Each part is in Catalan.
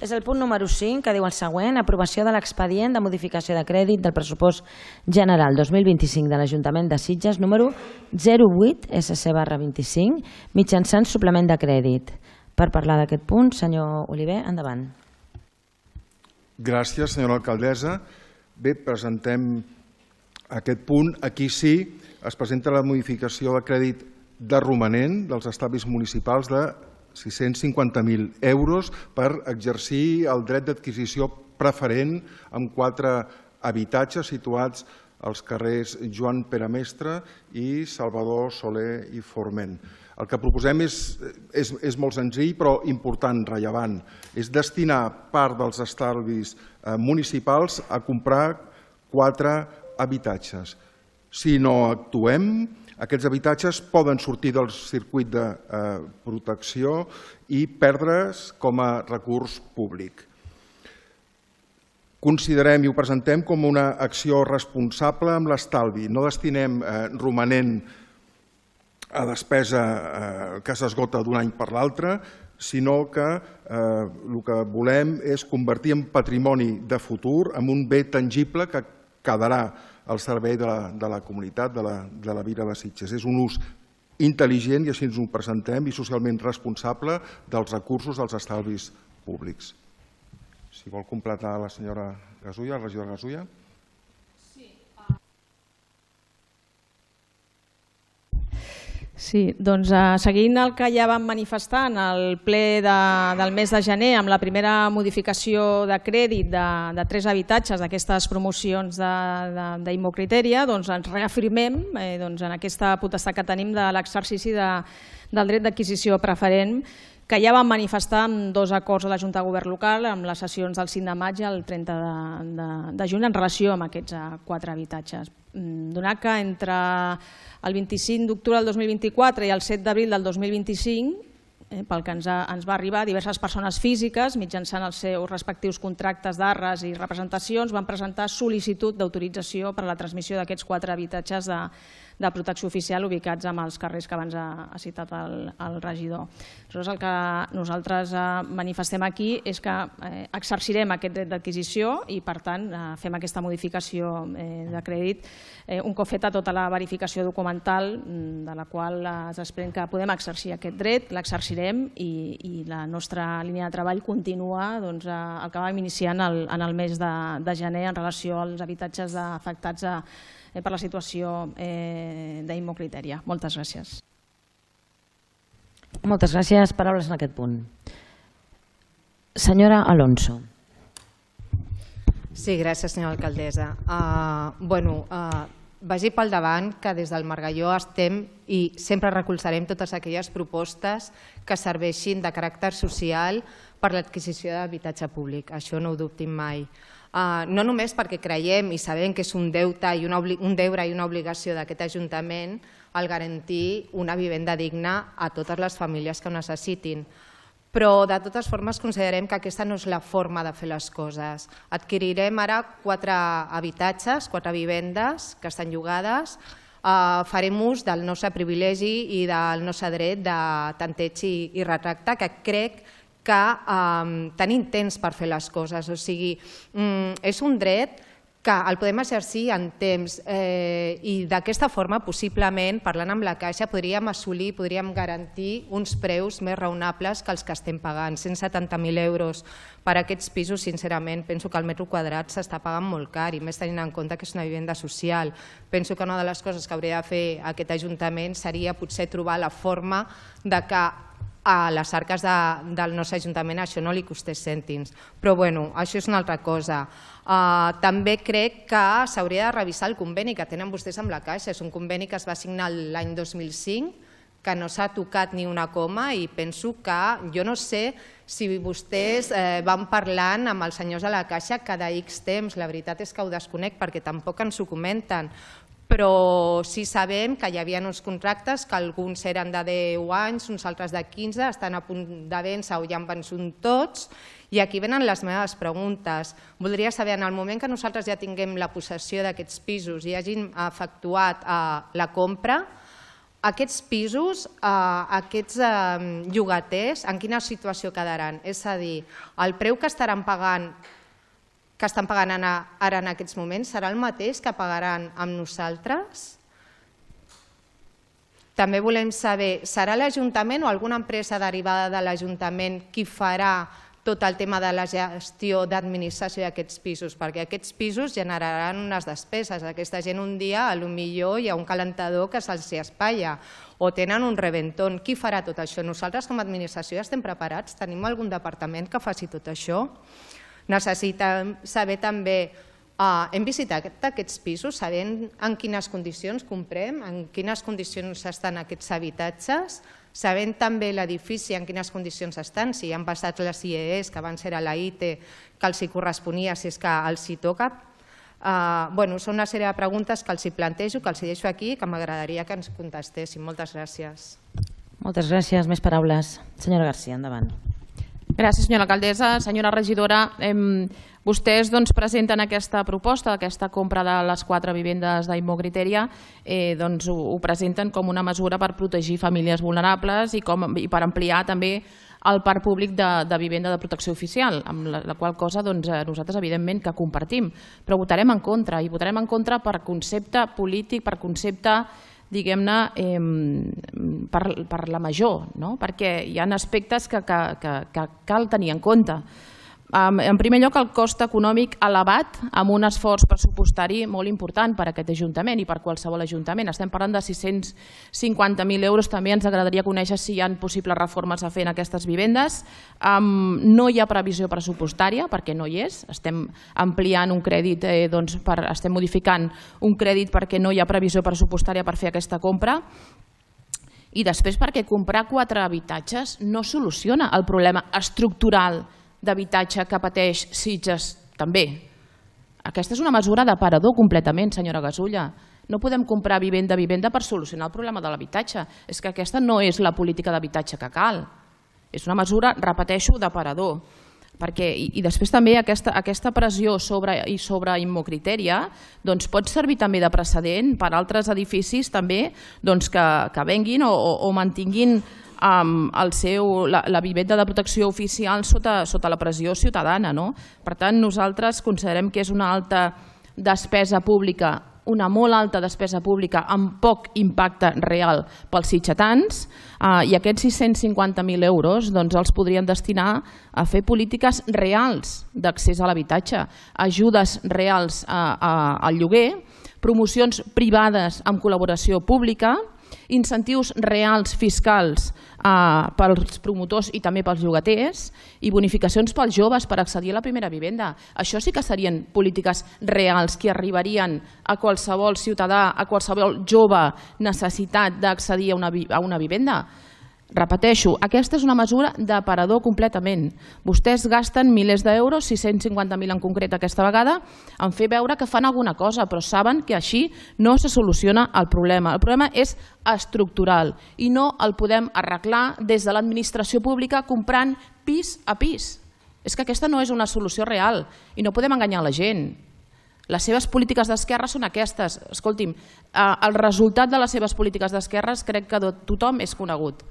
És el punt número 5, que diu el següent: aprovació de l'expedient de modificació de crèdit del pressupost general 2025 de l'Ajuntament de Sitges número 08 SC/25 mitjançant suplement de crèdit. Per parlar d'aquest punt, senyor Oliver, endavant. Gràcies, senyora alcaldessa. Bé, presentem aquest punt. Aquí sí es presenta la modificació de crèdit de romanent dels estalvis municipals de 650.000 euros per exercir el dret d'adquisició preferent amb 4 habitatges situats als carrers Joan Peramestre i Salvador Soler i Forment. El que proposem és molt senzill però important, rellevant. És destinar part dels estalvis municipals a comprar 4 habitatges. Si no actuem, aquests habitatges poden sortir del circuit de protecció i perdre's com a recurs públic. Considerem i ho presentem com una acció responsable amb l'estalvi. No destinem romanent a despesa que s'esgota d'un any per l'altre, sinó que el que volem és convertir en patrimoni de futur, en un bé tangible que quedarà al servei de la comunitat, de la Vila de Sitges. És un ús intel·ligent, i així ens ho presentem, i socialment responsable dels recursos dels estalvis públics. Si vol completar la senyora Gasulla, la regidora Gasulla. Sí, doncs seguint el que ja vam manifestar en el ple del mes de gener amb la primera modificació de crèdit de 3 habitatges d'aquestes promocions d'Immocriteria, doncs ens reafirmem en aquesta potestat que tenim de l'exercici del dret d'adquisició preferent que ja vam manifestar amb 2 acords de la Junta de Govern local amb les sessions del 5 de maig i el 30 de juny en relació amb aquests 4 habitatges. Donat que entre el 25 d'octubre del 2024 i el 7 d'abril del 2025, pel que ens va arribar, diverses persones físiques, mitjançant els seus respectius contractes d'arres i representacions, van presentar sol·licitud d'autorització per a la transmissió d'aquests 4 habitatges de protecció oficial ubicats en els carrers que abans ha citat el regidor. El que nosaltres manifestem aquí és que exercirem aquest dret d'adquisició i, per tant, fem aquesta modificació de crèdit un cop feta tota la verificació documental de la qual es desprèn que podem exercir aquest dret, l'exercirem i la nostra línia de treball continua el que vam iniciar en el mes de gener en relació als habitatges afectats per la situació d'Immocriteria. Moltes gràcies. Moltes gràcies. Paraules en aquest punt. Senyora Alonso. Sí, gràcies, senyora alcaldessa. Vagi pel davant que des del Margalló estem i sempre recolzarem totes aquelles propostes que serveixin de caràcter social per l'adquisició d'habitatge públic. Això no ho dubtin mai. No només perquè creiem i sabem que és un deure i una obligació d'aquest Ajuntament el garantir una vivenda digna a totes les famílies que ho necessitin, però de totes formes considerem que aquesta no és la forma de fer les coses. Adquirirem ara 4 habitatges, 4 vivendes que estan llogades, farem ús del nostre privilegi i del nostre dret de tanteig i retracte, que crec que tenim temps per fer les coses. O sigui, és un dret que el podem exercir en temps i d'aquesta forma, possiblement, parlant amb la Caixa, podríem assolir, podríem garantir uns preus més raonables que els que estem pagant. 170.000 euros per a aquests pisos, sincerament, penso que el metro quadrat s'està pagant molt car i més tenint en compte que és una vivenda social. Penso que una de les coses que hauria de fer aquest Ajuntament seria potser trobar la forma de que a les arques del nostre Ajuntament això no li costés cèntims. Però bueno, això és una altra cosa. També crec que s'hauria de revisar el conveni que tenen vostès amb la Caixa. És un conveni que es va signar l'any 2005, que no s'ha tocat ni una coma i penso que, jo no sé si vostès van parlant amb els senyors de la Caixa cada X temps. La veritat és que ho desconec perquè tampoc ens ho comenten. Però sí sabem que hi havia uns contractes que alguns eren de 10 anys, uns altres de 15, estan a punt de vèncer o ja han vençut tots. I aquí venen les meves preguntes. Voldria saber, en el moment que nosaltres ja tinguem la possessió d'aquests pisos i hagin efectuat la compra, aquests pisos, aquests llogaters, en quina situació quedaran? És a dir, el preu que estan pagant ara en aquests moments serà el mateix que pagaran amb nosaltres? També volem saber, serà l'Ajuntament o alguna empresa derivada de l'Ajuntament qui farà tot el tema de la gestió d'administració d'aquests pisos? Perquè aquests pisos generaran unes despeses. Aquesta gent un dia, potser hi ha un calentador que se'ls espatlla o tenen un reventón. Qui farà tot això? Nosaltres com a administració ja estem preparats? Tenim algun departament que faci tot això? Necessitem saber també, hem visitat aquests pisos, sabent en quines condicions comprem, en quines condicions estan aquests habitatges, sabent també l'edifici en quines condicions estan, si han passat les IES, que abans era la ITE, que els hi corresponia, si és que els hi toca. Són una sèrie de preguntes que els hi plantejo, que els hi deixo aquí i que m'agradaria que ens contestessin. Moltes gràcies. Moltes gràcies. Més paraules. Senyora García, endavant. Gràcies, senyora alcaldessa. Senyora regidora, vostès presenten aquesta proposta, aquesta compra de les 4 vivendes d'Immocriteria, ho presenten com una mesura per protegir famílies vulnerables i per ampliar també el parc públic de vivenda de protecció oficial, amb la qual cosa nosaltres evidentment que compartim, però votarem en contra, i votarem en contra per concepte polític, per concepte diguem-ne, per la major, perquè hi ha aspectes que cal tenir en compte. En primer lloc, el cost econòmic elevat amb un esforç pressupostari molt important per a aquest Ajuntament i per qualsevol Ajuntament. Estem parlant de 650.000 euros. També ens agradaria conèixer si hi ha possibles reformes a fer en aquestes vivendes. No hi ha previsió pressupostària, perquè no hi és. Estem ampliant un crèdit, estem modificant un crèdit perquè no hi ha previsió pressupostària per fer aquesta compra. I després perquè comprar 4 habitatges no soluciona el problema estructural d'habitatge que pateix Sitges també. Aquesta és una mesura d'aparador completament, senyora Gasulla. No podem comprar vivenda per solucionar el problema de l'habitatge. És que aquesta no és la política d'habitatge que cal. És una mesura, repeteixo, d'aparador. I després també aquesta pressió sobre Immocriteria pot servir també de precedent per altres edificis també que venguin o mantinguin la vivenda de protecció oficial sota la pressió ciutadana. Per tant, nosaltres considerem que és una alta despesa pública, una molt alta despesa pública amb poc impacte real pels sitgetans, i aquests 650.000 euros els podrien destinar a fer polítiques reals d'accés a l'habitatge, ajudes reals al lloguer, promocions privades amb col·laboració pública, incentius reals fiscals pels promotors i també pels llogaters i bonificacions pels joves per accedir a la primera vivenda. Això sí que serien polítiques reals que arribarien a qualsevol ciutadà, a qualsevol jove necessitat d'accedir a una vivenda. Repeteixo, aquesta és una mesura d'aparador completament. Vostès gasten milers d'euros, 650.000 en concret aquesta vegada, en fer veure que fan alguna cosa, però saben que així no se soluciona el problema. El problema és estructural i no el podem arreglar des de l'administració pública comprant pis a pis. És que aquesta no és una solució real i no podem enganyar la gent. Les seves polítiques d'esquerra són aquestes. Escolti'm, el resultat de les seves polítiques d'esquerres crec que tothom és conegut.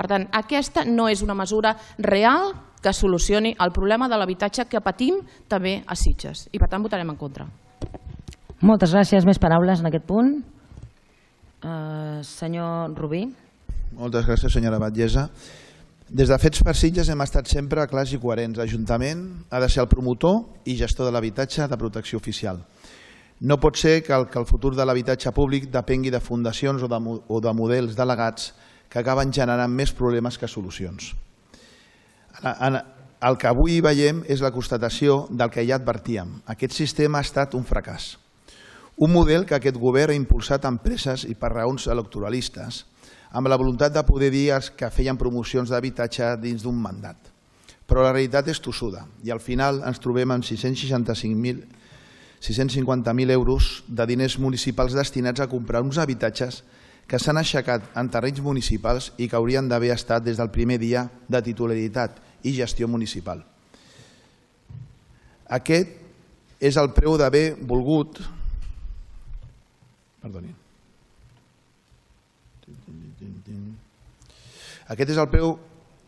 Per tant, aquesta no és una mesura real que solucioni el problema de l'habitatge que patim també a Sitges. I per tant votarem en contra. Moltes gràcies. Més paraules en aquest punt. Senyor Rubí. Moltes gràcies, senyora Batllessa. Des de Fets per Sitges hem estat sempre clars i coherents. L'Ajuntament ha de ser el promotor i gestor de l'habitatge de protecció oficial. No pot ser que el futur de l'habitatge públic depengui de fundacions o de models delegats que acaben generant més problemes que solucions. El que avui veiem és la constatació del que ja advertíem. Aquest sistema ha estat un fracàs. Un model que aquest govern ha impulsat amb presses i per raons electoralistes, amb la voluntat de poder dir que feien promocions d'habitatge dins d'un mandat. Però la realitat és tossuda i al final ens trobem amb 650.000 euros de diners municipals destinats a comprar uns habitatges que s'han aixecat en terrenys municipals i que haurien d'haver estat des del primer dia de titularitat i gestió municipal. Aquest és el preu d'haver volgut... Perdonin. Aquest és el preu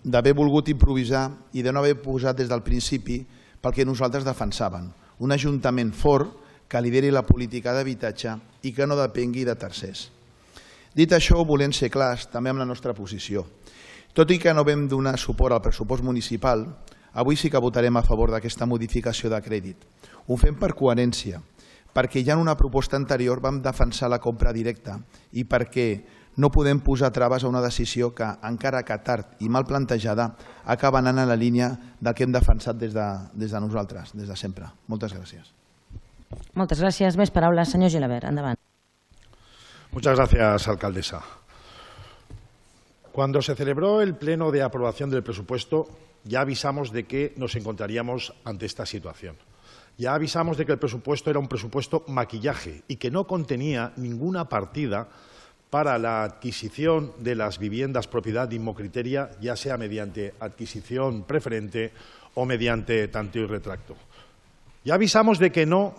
d'haver volgut improvisar i de no haver posat des del principi pel que nosaltres defensàvem, un ajuntament fort que lideri la política d'habitatge i que no depengui de tercers. Dit això, volem ser clars també amb la nostra posició. Tot i que no vam donar suport al pressupost municipal, avui sí que votarem a favor d'aquesta modificació de crèdit. Ho fem per coherència, perquè ja en una proposta anterior vam defensar la compra directa i perquè no podem posar traves a una decisió que, encara que tard i mal plantejada, acaba anant en la línia del que hem defensat des de nosaltres, des de sempre. Moltes gràcies. Moltes gràcies. Més paraules. Senyor Gilabert, endavant. Muchas gracias, alcaldesa. Cuando se celebró el pleno de aprobación del presupuesto, ya avisamos de que nos encontraríamos ante esta situación. Ya avisamos de que el presupuesto era un presupuesto maquillaje y que no contenía ninguna partida para la adquisición de las viviendas propiedad de Inmocriteria, ya sea mediante adquisición preferente o mediante tanteo y retracto. Ya avisamos de que no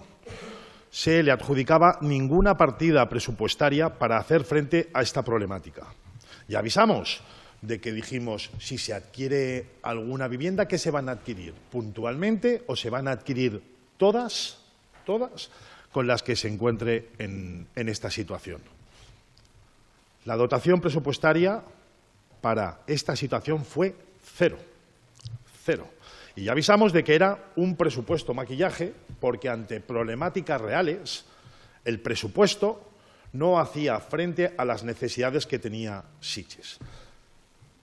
se le adjudicaba ninguna partida presupuestaria para hacer frente a esta problemática. Ya avisamos de que dijimos, si se adquiere alguna vivienda, ¿qué se van a adquirir? ¿Puntualmente o se van a adquirir todas con las que se encuentre en esta situación? La dotación presupuestaria para esta situación fue cero. Y ya avisamos de que era un presupuesto maquillaje porque ante problemáticas reales el presupuesto no hacía frente a las necesidades que tenía Sitges.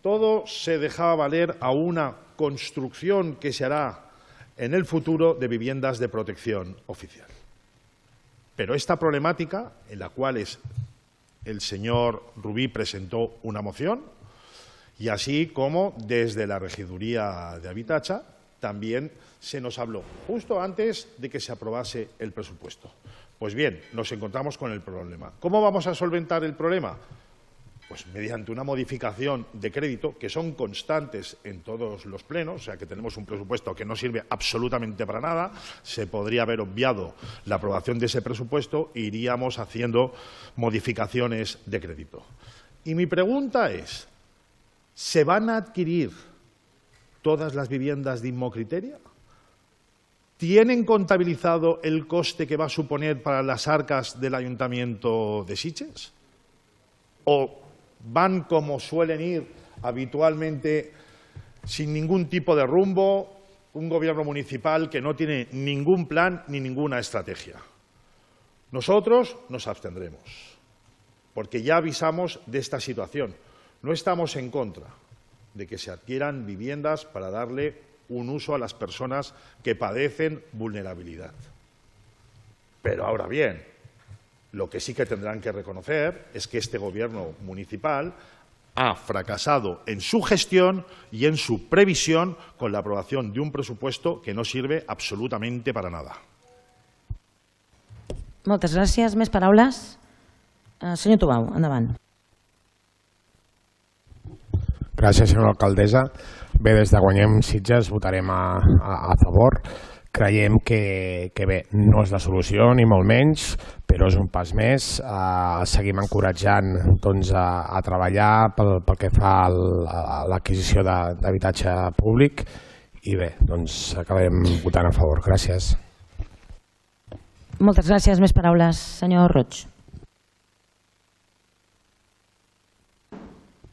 Todo se dejaba valer a una construcción que se hará en el futuro de viviendas de protección oficial. Pero esta problemática, en la cual el señor Rubí presentó una moción, y así como desde la Regiduría de Habitatge también se nos habló justo antes de que se aprobase el presupuesto. Pues bien, nos encontramos con el problema. ¿Cómo vamos a solventar el problema? Pues mediante una modificación de crédito, que son constantes en todos los plenos, o sea que tenemos un presupuesto que no sirve absolutamente para nada, se podría haber obviado la aprobación de ese presupuesto e iríamos haciendo modificaciones de crédito. Y mi pregunta es, ¿se van a adquirir todas las viviendas de Inmocriteria? ¿Tienen contabilizado el coste que va a suponer para las arcas del Ayuntamiento de Sitges? ¿O van como suelen ir habitualmente sin ningún tipo de rumbo, un gobierno municipal que no tiene ningún plan ni ninguna estrategia? Nosotros nos abstendremos, porque ya avisamos de esta situación. No estamos en contra de que se adquieran viviendas para darle un uso a las personas que padecen vulnerabilidad. Pero ahora bien, lo que sí que tendrán que reconocer es que este gobierno municipal ha fracasado en su gestión y en su previsión con la aprobación de un presupuesto que no sirve absolutamente para nada. Moltes gràcies. Més paraules? Senyor Tubau, endavant. Gràcies, senyora alcaldessa. Bé, des de Guanyem Sitges votarem a favor. Creiem que bé, no és la solució, ni molt menys, però és un pas més. Seguim encoratjant a treballar pel que fa a l'adquisició d'habitatge públic i bé, acabarem votant a favor. Gràcies. Moltes gràcies. Més paraules. Senyor Roig.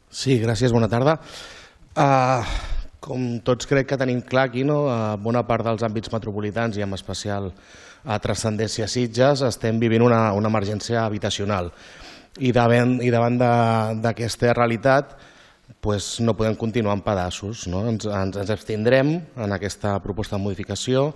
Sí, gràcies, bona tarda. Com tots crec que tenim clar aquí, a bona part dels àmbits metropolitans i amb especial transcendència a Sitges estem vivint una emergència habitacional i davant d'aquesta realitat no podem continuar en pedaços. Ens abstindrem en aquesta proposta de modificació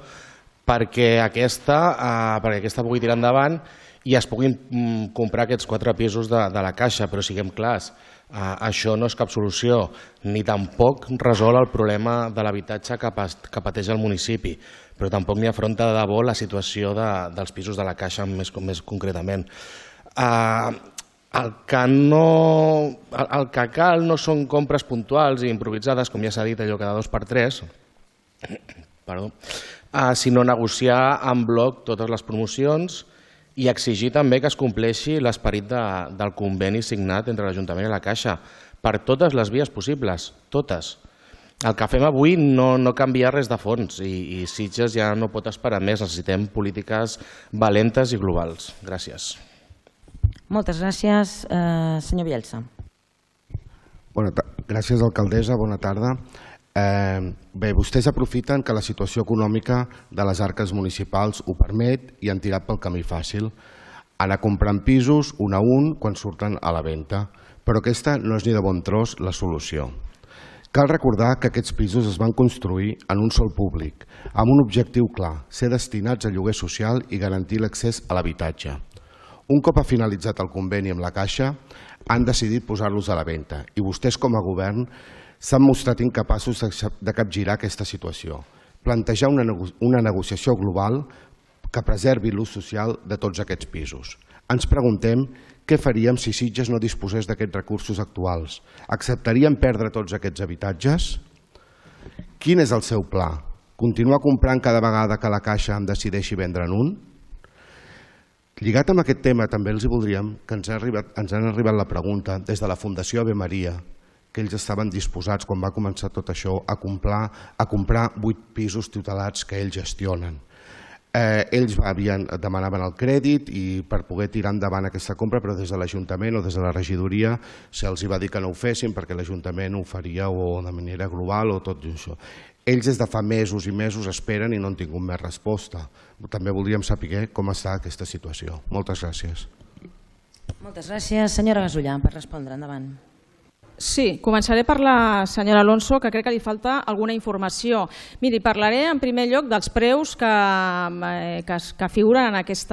perquè aquesta pugui tirar endavant i es puguin comprar aquests 4 pisos de la Caixa, però siguem clars, això no és cap solució, ni tampoc resol el problema de l'habitatge que pateix el municipi, però tampoc ni afronta de debò la situació dels pisos de la Caixa més concretament. El que cal no són compres puntuals i improvisades, com ja s'ha dit, allò cada 2 per 3, sinó negociar en bloc totes les promocions i exigir també que es compleixi l'esperit del conveni signat entre l'Ajuntament i la Caixa per totes les vies possibles, totes. El que fem avui no canvia res de fons i Sitges ja no pot esperar més. Necessitem polítiques valentes i globals. Gràcies. Moltes gràcies. Senyor Bielsa. Gràcies, alcaldessa. Bona tarda. Bé, vostès aprofiten que la situació econòmica de les arques municipals ho permet i han tirat pel camí fàcil. Anar comprant pisos un a un quan surten a la venda. Però aquesta no és ni de bon tros la solució. Cal recordar que aquests pisos es van construir en un sol públic, amb un objectiu clar, ser destinats a lloguer social i garantir l'accés a l'habitatge. Un cop ha finalitzat el conveni amb la Caixa, han decidit posar-los a la venda i vostès com a govern s'han mostrat incapaços de capgirar aquesta situació, plantejar una negociació global que preservi l'ús social de tots aquests pisos. Ens preguntem què faríem si Sitges no disposés d'aquests recursos actuals? Acceptaríem perdre tots aquests habitatges? Quin és el seu pla? Continuar comprant cada vegada que la Caixa en decideixi vendre'n un? Lligat amb aquest tema també els voldríem que ens han arribat la pregunta des de la Fundació Ave Maria, que ells estaven disposats, quan va començar tot això, a comprar 8 pisos tutelats que ells gestionen. Ells demanaven el crèdit i per poder tirar endavant aquesta compra, però des de l'Ajuntament o des de la regidoria se'ls va dir que no ho fessin perquè l'Ajuntament ho faria o de manera global o tot això. Ells des de fa mesos i mesos esperen i no han tingut més resposta. També voldríem saber com està aquesta situació. Moltes gràcies. Moltes gràcies. Senyora Gasullà, per respondre. Endavant. Sí, començaré per la senyora Alonso, que crec que li falta alguna informació. Miri, parlaré en primer lloc dels preus que figuren en aquest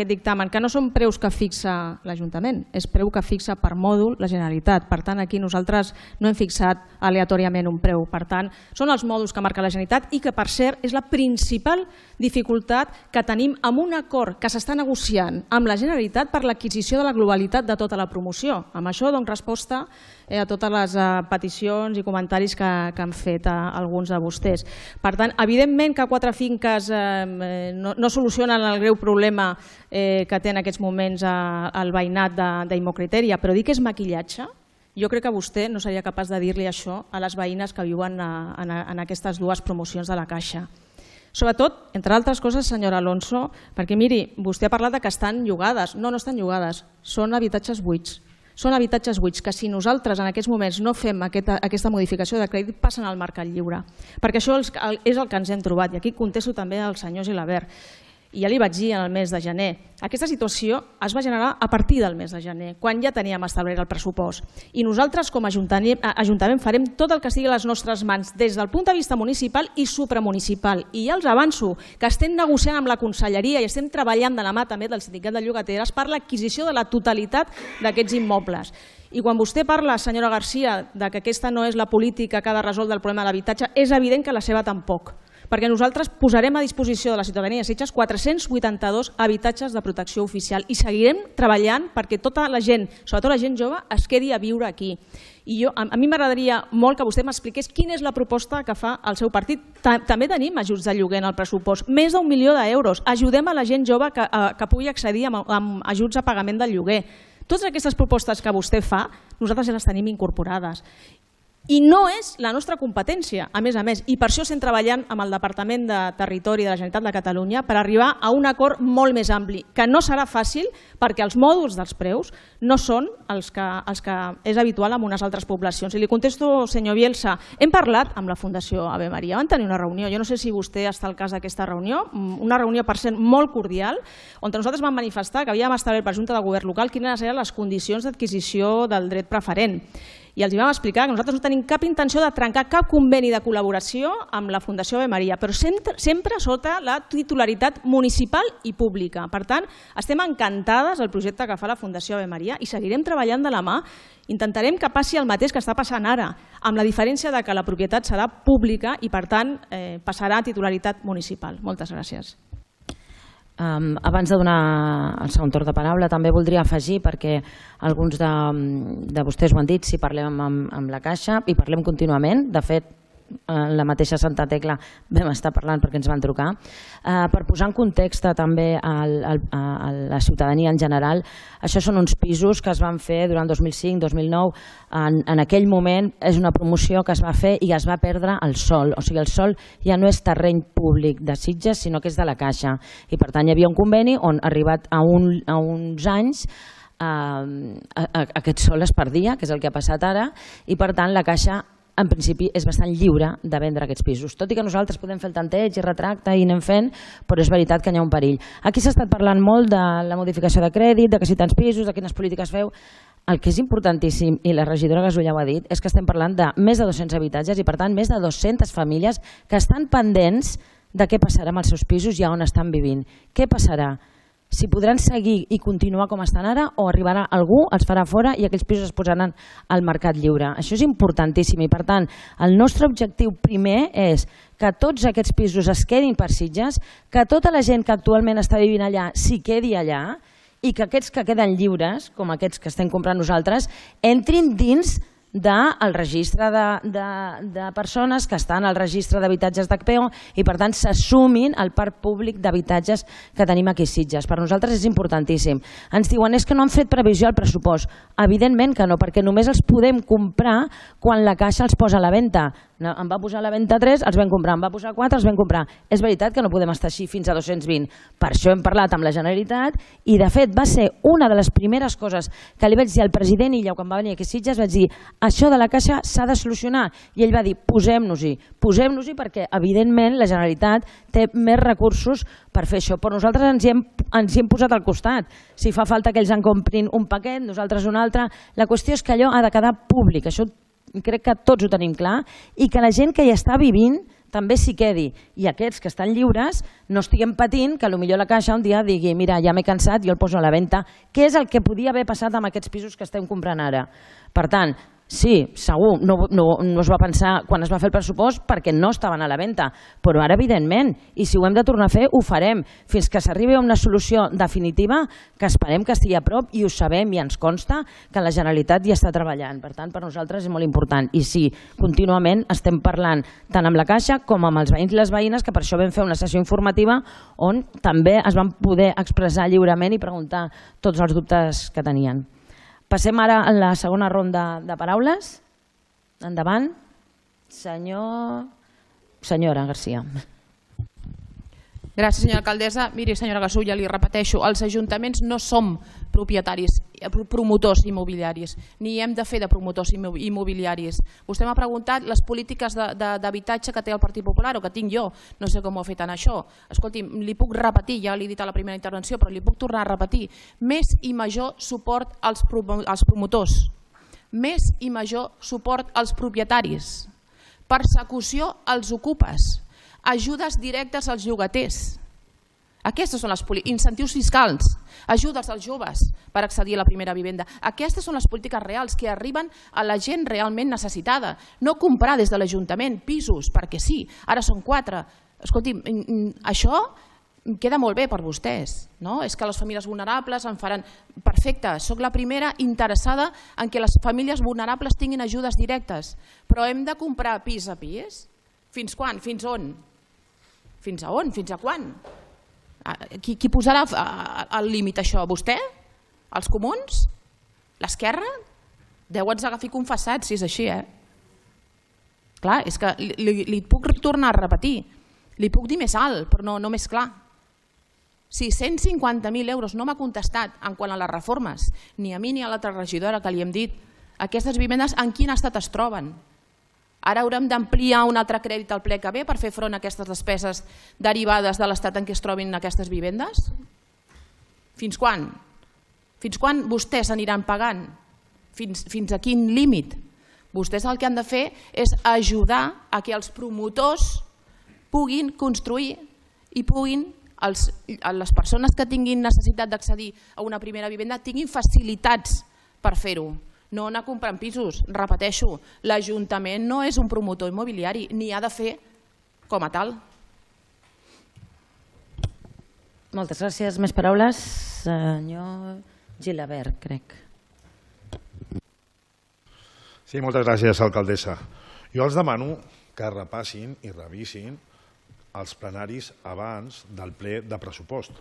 dictamen, que no són preus que fixa l'Ajuntament, és preu que fixa per mòdul la Generalitat. Per tant, aquí nosaltres no hem fixat aleatòriament un preu. Per tant, són els mòduls que marca la Generalitat i que, per cert, és la principal dificultat que tenim amb un acord que s'està negociant amb la Generalitat per l'adquisició de la globalitat de tota la promoció. Amb això dono resposta a totes les peticions i comentaris que han fet alguns de vostès. Per tant, evidentment que 4 finques no solucionen el greu problema que té en aquests moments el veïnat d'Immocriteria, però dir que és maquillatge, jo crec que vostè no seria capaç de dir-li això a les veïnes que viuen en aquestes 2 promocions de la Caixa. Sobretot, entre altres coses, senyora Alonso, perquè miri, vostè ha parlat que estan llogades. No estan llogades, són habitatges buits. Són habitatges buits que si nosaltres en aquests moments no fem aquesta modificació de crèdit passen al mercat lliure. Perquè això és el que ens hem trobat i aquí contesto també al senyor Gilabert. I ja li vaig dir en el mes de gener, aquesta situació es va generar a partir del mes de gener, quan ja teníem establert el pressupost. I nosaltres com a Ajuntament farem tot el que estigui a les nostres mans des del punt de vista municipal i supramunicipal. I ja els avanço que estem negociant amb la Conselleria i estem treballant de la mà també del Sindicat de Llogateres per l'adquisició de la totalitat d'aquests immobles. I quan vostè parla, senyora Garcia, que aquesta no és la política que ha de resoldre el problema de l'habitatge, és evident que la seva tampoc. Perquè nosaltres posarem a disposició de la ciutadania de Sitges 482 habitatges de protecció oficial i seguirem treballant perquè tota la gent, sobretot la gent jove, es quedi a viure aquí. I a mi m'agradaria molt que vostè m'expliqués quina és la proposta que fa el seu partit. També tenim ajuts de lloguer en el pressupost, més d'1 milió d'euros. Ajudem a la gent jove que pugui accedir amb ajuts a pagament del lloguer. Totes aquestes propostes que vostè fa, nosaltres ja les tenim incorporades. I no és la nostra competència, a més, i per això estem treballant amb el Departament de Territori de la Generalitat de Catalunya per arribar a un acord molt més ampli, que no serà fàcil perquè els mòduls dels preus no són els que és habitual en unes altres poblacions. I li contesto, senyor Bielsa, hem parlat amb la Fundació Ave Maria, van tenir una reunió, jo no sé si vostè està al cas d'aquesta reunió, una reunió per cert molt cordial, on nosaltres vam manifestar que havíem establert per Junta de Govern local quines eren les condicions d'adquisició del dret preferent. I els vam explicar que nosaltres no tenim cap intenció de trencar cap conveni de col·laboració amb la Fundació Ave Maria, però sempre sota la titularitat municipal i pública. Per tant, estem encantades del projecte que fa la Fundació Ave Maria i seguirem treballant de la mà. Intentarem que passi el mateix que està passant ara, amb la diferència que la propietat serà pública i, per tant, passarà a titularitat municipal. Moltes gràcies. Abans de donar el segon torn de paraula també voldria afegir, perquè alguns de vostès ho han dit, si parlem amb la Caixa i parlem contínuament, de fet la mateixa Santa Tecla vam estar parlant perquè ens van trucar. Per posar en context també a la ciutadania en general, això són uns pisos que es van fer durant 2005-2009. En aquell moment és una promoció que es va fer i es va perdre el sòl. O sigui, el sòl ja no és terreny públic de Sitges, sinó que és de la Caixa. I per tant hi havia un conveni on, arribat a uns anys, aquest sòl es perdia, que és el que ha passat ara, i per tant la Caixa en principi és bastant lliure de vendre aquests pisos. Tot i que nosaltres podem fer el tanteig i retracte i anem fent, però és veritat que hi ha un perill. Aquí s'ha estat parlant molt de la modificació de crèdit, de que si tants pisos, de quines polítiques feu. El que és importantíssim, i la regidora Gasulla ho ha dit, és que estem parlant de més de 200 habitatges i per tant més de 200 famílies que estan pendents de què passarà amb els seus pisos i on estan vivint. Què passarà? Si podran seguir i continuar com estan ara o arribarà algú, els farà fora i aquells pisos es posaran al mercat lliure. Això és importantíssim i per tant el nostre objectiu primer és que tots aquests pisos es quedin per Sitges, que tota la gent que actualment està vivint allà s'hi quedi allà i que aquests que queden lliures, com aquests que estem comprant nosaltres, entrin dins del registre de persones que estan al registre d'habitatges d'HPO i per tant s'assumin al parc públic d'habitatges que tenim aquí a Sitges. Per nosaltres és importantíssim. Ens diuen és que no han fet previsió al pressupost. Evidentment que no, perquè només els podem comprar quan la Caixa els posa a la venda. Em va posar a la venda 3, els vam comprar, em va posar 4, els vam comprar. És veritat que no podem estar així fins a 220. Per això hem parlat amb la Generalitat i de fet va ser una de les primeres coses que li vaig dir al president Illa quan va venir aquí a Sitges, vaig dir això de la Caixa s'ha de solucionar i ell va dir posem-nos-hi perquè evidentment la Generalitat té més recursos per fer això, però nosaltres ens hi hem posat al costat. Si fa falta que ells en comprin un paquet, nosaltres un altre, la qüestió és que allò ha de quedar públic, això crec que tots ho tenim clar, i que la gent que hi està vivint també s'hi quedi. I aquests que estan lliures no estiguem patint que potser la Caixa un dia digui mira, ja m'he cansat, jo el poso a la venda, que és el que podia haver passat amb aquests pisos que estem comprant ara. Per tant, sí, segur, no es va pensar quan es va fer el pressupost perquè no estaven a la venda, però ara evidentment, i si ho hem de tornar a fer, ho farem, fins que s'arribi a una solució definitiva que esperem que estigui a prop i ho sabem i ens consta que la Generalitat hi està treballant. Per tant, per nosaltres és molt important. I sí, contínuament estem parlant tant amb la Caixa com amb els veïns i les veïnes, que per això vam fer una sessió informativa on també es van poder expressar lliurement i preguntar tots els dubtes que tenien. Passem ara a la segona ronda de paraules. Endavant. Senyora Garcia. Gràcies, senyora alcaldessa. Miri, senyora Gasulla, li repeteixo, els ajuntaments no som propietaris, promotors immobiliaris, ni hem de fer de promotors immobiliaris. Vostè m'ha preguntat les polítiques d'habitatge que té el Partit Popular o que tinc jo. No sé com ho ha fet en això. Escolti, li puc repetir, ja l'he dit a la primera intervenció, però li puc tornar a repetir. Més i major suport als promotors. Més i major suport als propietaris. Persecució als ocupes. Ajudes directes als llogaters. Aquestes són les incentius fiscals, ajudes als joves per accedir a la primera vivenda. Aquestes són les polítiques reals que arriben a la gent realment necessitada. No comprar des de l'Ajuntament pisos, perquè sí, ara són 4. Escolti, això queda molt bé per vostès, no? És que les famílies vulnerables en faran... Perfecte, soc la primera interessada en que les famílies vulnerables tinguin ajudes directes, però hem de comprar pis a pis? Fins quan? Fins on? Fins a on? Fins a quan? Qui posarà el límit a això? Vostè? Els comuns? L'esquerra? Deu ens agafi confessats, si és així, Clar, és que li puc tornar a repetir. Li puc dir més alt, però no més clar. 650.000 euros, no m'ha contestat en quant a les reformes, ni a mi ni a l'altra regidora que li hem dit. Aquestes vivendes en quin estat es troben? Ara haurem d'ampliar un altre crèdit al ple que ve per fer front a aquestes despeses derivades de l'estat en què es trobin aquestes vivendes? Fins quan? Fins quan vostès aniran pagant? Fins a quin límit? Vostès el que han de fer és ajudar a que els promotors puguin construir i puguin, les persones que tinguin necessitat d'accedir a una primera vivenda tinguin facilitats per fer-ho. No anar comprant pisos, repeteixo, l'Ajuntament no és un promotor immobiliari, ni ha de fer com a tal. Moltes gràcies. Més paraules? Senyor Gilabert, crec. Sí, moltes gràcies, alcaldessa. Jo els demano que repassin i revisin els plenaris abans del ple de pressupost,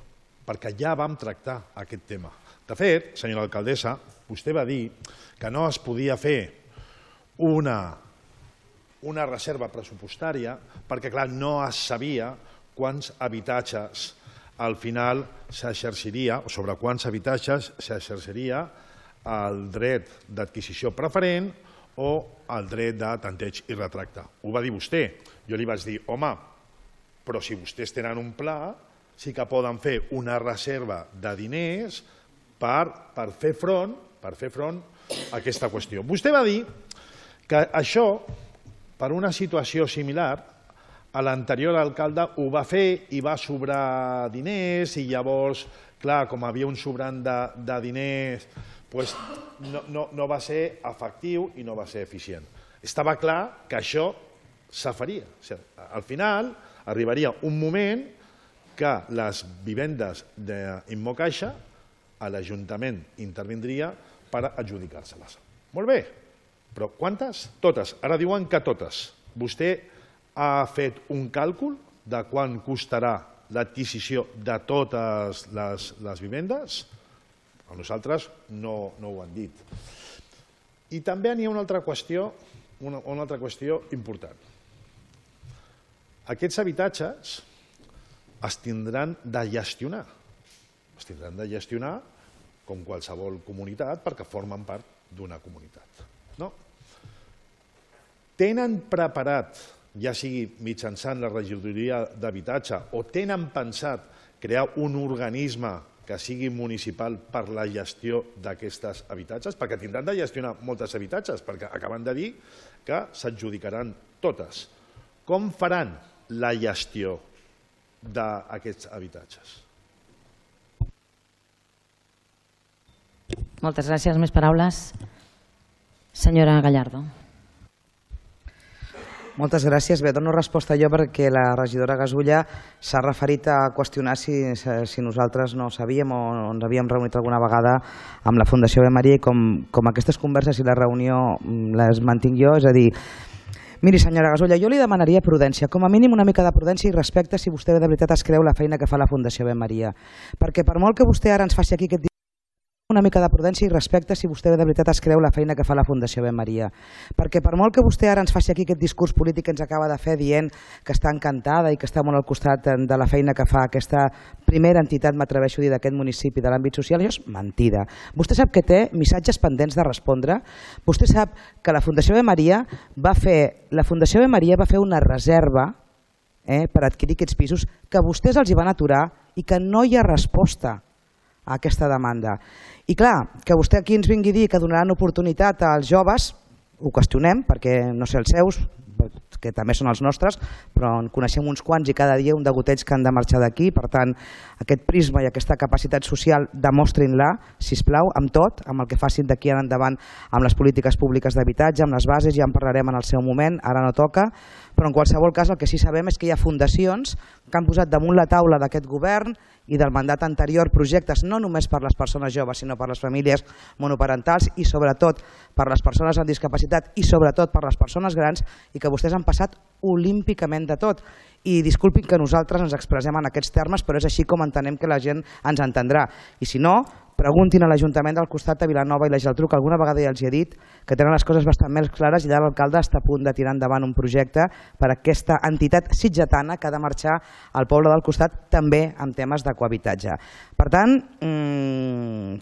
perquè ja vam tractar aquest tema. De fet, senyora alcaldessa, vostè va dir que no es podia fer una reserva pressupostària perquè, clar, no es sabia quants habitatges al final s'exerciria, o sobre quants habitatges s'exerciria el dret d'adquisició preferent o el dret de tanteig i retracte. Ho va dir vostè. Jo li vaig dir, home, però si vostès tenen un pla, sí que poden fer una reserva de diners per fer front a aquesta qüestió. Vostè va dir que això, per una situació similar, l'anterior alcalde ho va fer i va sobrar diners i llavors, clar, com havia un sobrant de diners, no va ser efectiu i no va ser eficient. Estava clar que això s'afaria. Al final arribaria un moment que les vivendes d'Immocaixa a l'Ajuntament intervindria per adjudicar-se-les. Molt bé, però quantes? Totes. Ara diuen que totes. Vostè ha fet un càlcul de quant costarà l'adquisició de totes les vivendes? A nosaltres no ho han dit. I també n'hi ha una altra qüestió important. Aquests habitatges es tindran de gestionar. Es tindran de gestionar com qualsevol comunitat perquè formen part d'una comunitat. Tenen preparat, ja sigui mitjançant la regidoria d'habitatge o tenen pensat crear un organisme que sigui municipal per la gestió d'aquests habitatges? Perquè tindran de gestionar molts habitatges, perquè acaben de dir que s'adjudicaran totes. Com faran la gestió d'aquests habitatges? Moltes gràcies. Més paraules? Senyora Gallardo. Moltes gràcies. Bé, dono resposta jo perquè la regidora Gasulla s'ha referit a qüestionar si nosaltres no sabíem o ens havíem reunit alguna vegada amb la Fundació Ave Maria i com aquestes converses i la reunió les mantinc jo, és a dir, miri, senyora Gasulla, jo li demanaria prudència, com a mínim una mica de prudència i respecte si vostè de veritat es creu la feina que fa la Fundació Ave Maria. Perquè per molt que vostè ara ens faci aquí aquest una mica de prudència i respecte si vostè de veritat es creu la feina que fa la Fundació Ave Maria. Perquè per molt que vostè ara ens faci aquí aquest discurs polític que ens acaba de fer dient que està encantada i que està molt al costat de la feina que fa aquesta primera entitat, m'atreveixo a dir, d'aquest municipi de l'àmbit social, això és mentida. Vostè sap que té missatges pendents de respondre. Vostè sap que la Fundació Ave Maria va fer una reserva per adquirir aquests pisos que vostès els hi van aturar i que no hi ha resposta a aquesta demanda. I clar, que vostè aquí ens vingui a dir que donaran oportunitat als joves, ho qüestionem, perquè no sé els seus, que també són els nostres, però en coneixem uns quants i cada dia un de gotets que han de marxar d'aquí. Per tant, aquest prisma i aquesta capacitat social demostrin-la, sisplau, amb tot, amb el que facin d'aquí en endavant amb les polítiques públiques d'habitatge, amb les bases, ja en parlarem en el seu moment, ara no toca, però en qualsevol cas el que sí sabem és que hi ha fundacions que han posat damunt la taula d'aquest govern i del mandat anterior projectes no només per les persones joves sinó per les famílies monoparentals i sobretot per les persones amb discapacitat i sobretot per les persones grans i que vostès han passat olímpicament de tot. I disculpin que nosaltres ens expressem en aquests termes, però és així com entenem que la gent ens entendrà. I si no, preguntin a l'Ajuntament del costat de Vilanova i la Geltrú, que alguna vegada ja els he dit que tenen les coses bastant més clares i allà l'alcalde està a punt de tirar endavant un projecte per a aquesta entitat sitgetana que ha de marxar al poble del costat també amb temes de cohabitatge. Per tant,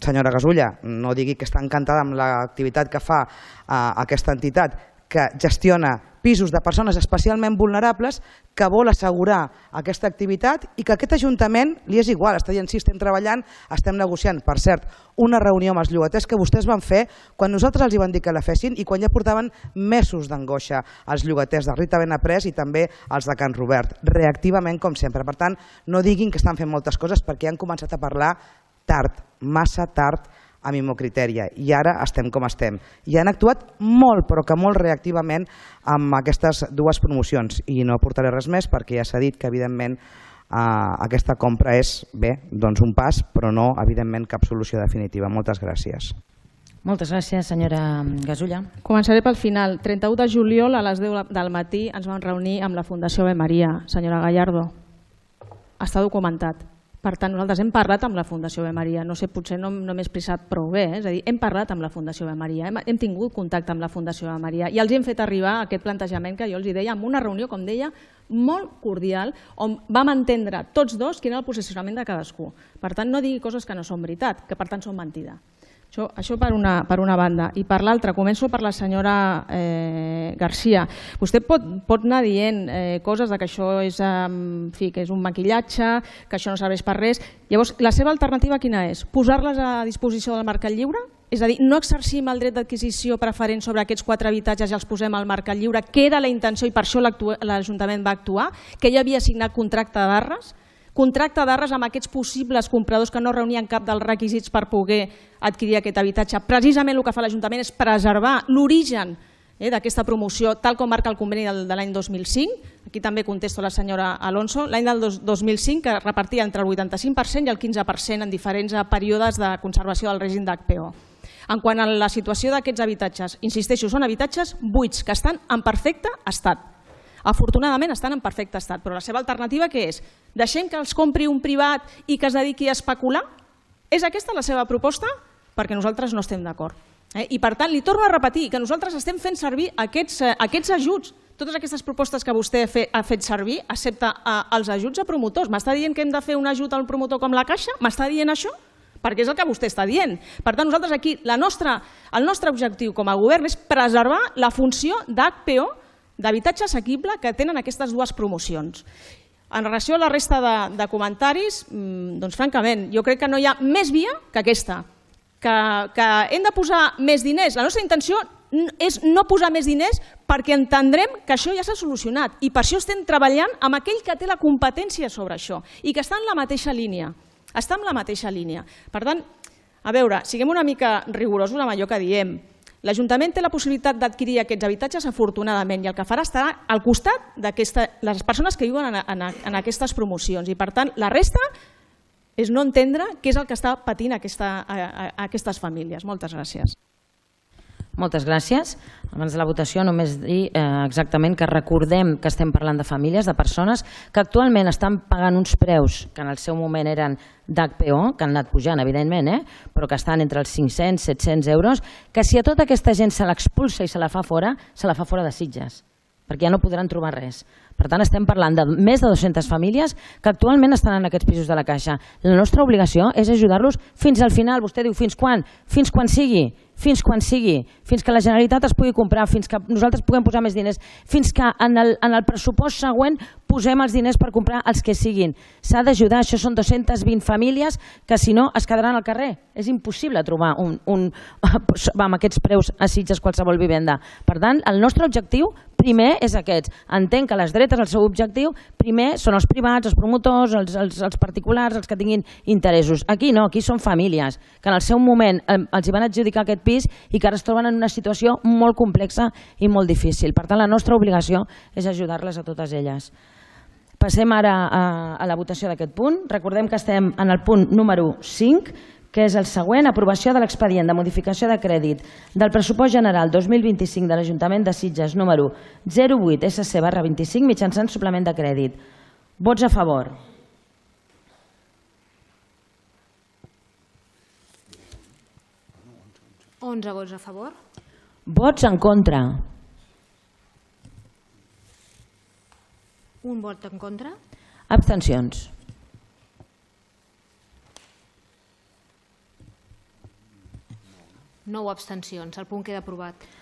senyora Gasulla, no digui que està encantada amb l'activitat que fa aquesta entitat que gestiona pisos de persones especialment vulnerables, que vol assegurar aquesta activitat i que aquest Ajuntament li és igual, està dient sí, estem treballant, estem negociant. Per cert, una reunió amb els llogaters que vostès van fer quan nosaltres els hi van dir que la fessin i quan ja portaven mesos d'angoixa els llogaters de Rita Benaprés i també els de Can Robert, reactivament com sempre. Per tant, no diguin que estan fent moltes coses perquè han començat a parlar tard, massa tard, amb Immocritèria, i ara estem com estem. I han actuat molt, però que molt reactivament amb aquestes dues promocions. I no aportaré res més perquè ja s'ha dit que evidentment aquesta compra és, bé, doncs un pas, però no, evidentment, cap solució definitiva. Moltes gràcies. Moltes gràcies, senyora Gasulla. Començaré pel final. 31 de juliol a les 10 del matí ens vam reunir amb la Fundació Ave Maria, senyora Gallardo. Està documentat. Per tant, nosaltres hem parlat amb la Fundació Ave Maria. No sé, potser no m'he expressat prou bé. És a dir, hem parlat amb la Fundació Ave Maria, hem tingut contacte amb la Fundació Ave Maria i els hem fet arribar aquest plantejament que jo els deia, amb una reunió, com deia, molt cordial, on vam entendre tots dos quin era el posicionament de cadascú. Per tant, no digui coses que no són veritat, que per tant són mentida. Això per una banda. I per l'altra, començo per la senyora Garcia. Vostè pot anar dient coses que això és un maquillatge, que això no serveix per res. Llavors, la seva alternativa quina és? Posar-les a disposició del mercat lliure? És a dir, no exercim el dret d'adquisició preferent sobre aquests 4 habitatges i els posem al mercat lliure, que era la intenció i per això l'Ajuntament va actuar, que ja havia signat contracte d'arres? Contracte d'arres amb aquests possibles compradors que no reunien cap dels requisits per poder adquirir aquest habitatge. Precisament el que fa l'Ajuntament és preservar l'origen d'aquesta promoció, tal com marca el conveni de l'any 2005. Aquí també contesto a la senyora Alonso. L'any del 2005 que repartia entre el 85% i el 15% en diferents períodes de conservació del règim d'HPO. En quant a la situació d'aquests habitatges, insisteixo, són habitatges buits que estan en perfecte estat. Afortunadament estan en perfecte estat, però la seva alternativa què és? Deixem que els compri un privat i que es dediqui a especular? És aquesta la seva proposta? Perquè nosaltres no estem d'acord. I per tant, li torno a repetir que nosaltres estem fent servir aquests ajuts, totes aquestes propostes que vostè ha fet servir, excepte els ajuts a promotors. M'està dient que hem de fer un ajut al promotor com la Caixa? M'està dient això? Perquè és el que vostè està dient. Per tant, nosaltres aquí, el nostre objectiu com a govern és preservar la funció d'HPO, d'habitatge assequible, que tenen aquestes dues promocions. En relació a la resta de comentaris, doncs francament, jo crec que no hi ha més via que aquesta. Que hem de posar més diners. La nostra intenció és no posar més diners perquè entendrem que això ja s'ha solucionat i per això estem treballant amb aquell que té la competència sobre això i que està en la mateixa línia. Està en la mateixa línia. Per tant, a veure, siguem una mica rigorosos amb allò que diem. L'Ajuntament té la possibilitat d'adquirir aquests habitatges afortunadament i el que farà estarà al costat de les persones que viuen en aquestes promocions i per tant la resta és no entendre què és el que està patint aquestes famílies. Moltes gràcies. Moltes gràcies. Abans de la votació només dir exactament que recordem que estem parlant de famílies, de persones que actualment estan pagant uns preus que en el seu moment eren d'HPO, que han anat pujant evidentment, però que estan entre els 500-700 euros, que si a tota aquesta gent se l'expulsa i se la fa fora de Sitges, perquè ja no podran trobar res. Per tant, estem parlant de més de 200 famílies que actualment estan en aquests pisos de la Caixa. La nostra obligació és ajudar-los fins al final. Vostè diu, fins quan? Fins quan sigui. Fins quan sigui, fins que la Generalitat es pugui comprar, fins que nosaltres puguem posar més diners, fins que en el pressupost següent posem els diners per comprar els que siguin. S'ha d'ajudar, això són 220 famílies que si no es quedaran al carrer. És impossible trobar amb aquests preus a Sitges qualsevol vivenda. Per tant, el nostre objectiu primer és aquest. Entenc que les dretes, el seu objectiu, primer són els privats, els promotors, els particulars, els que tinguin interessos. Aquí no, aquí són famílies que en el seu moment els hi van adjudicar aquest pis i que ara es troben en una situació molt complexa i molt difícil. Per tant, la nostra obligació és ajudar-les a totes elles. Passem ara a la votació d'aquest punt. Recordem que estem en el punt número 5, que és el següent, aprovació de l'expedient de modificació de crèdit del pressupost general 2025 de l'Ajuntament de Sitges número 08 SC/25 mitjançant suplement de crèdit. Vots a favor. (11 vots a favor). Vots en contra. 1 vot en contra. Abstencions. No abstencions. El punt queda aprovat.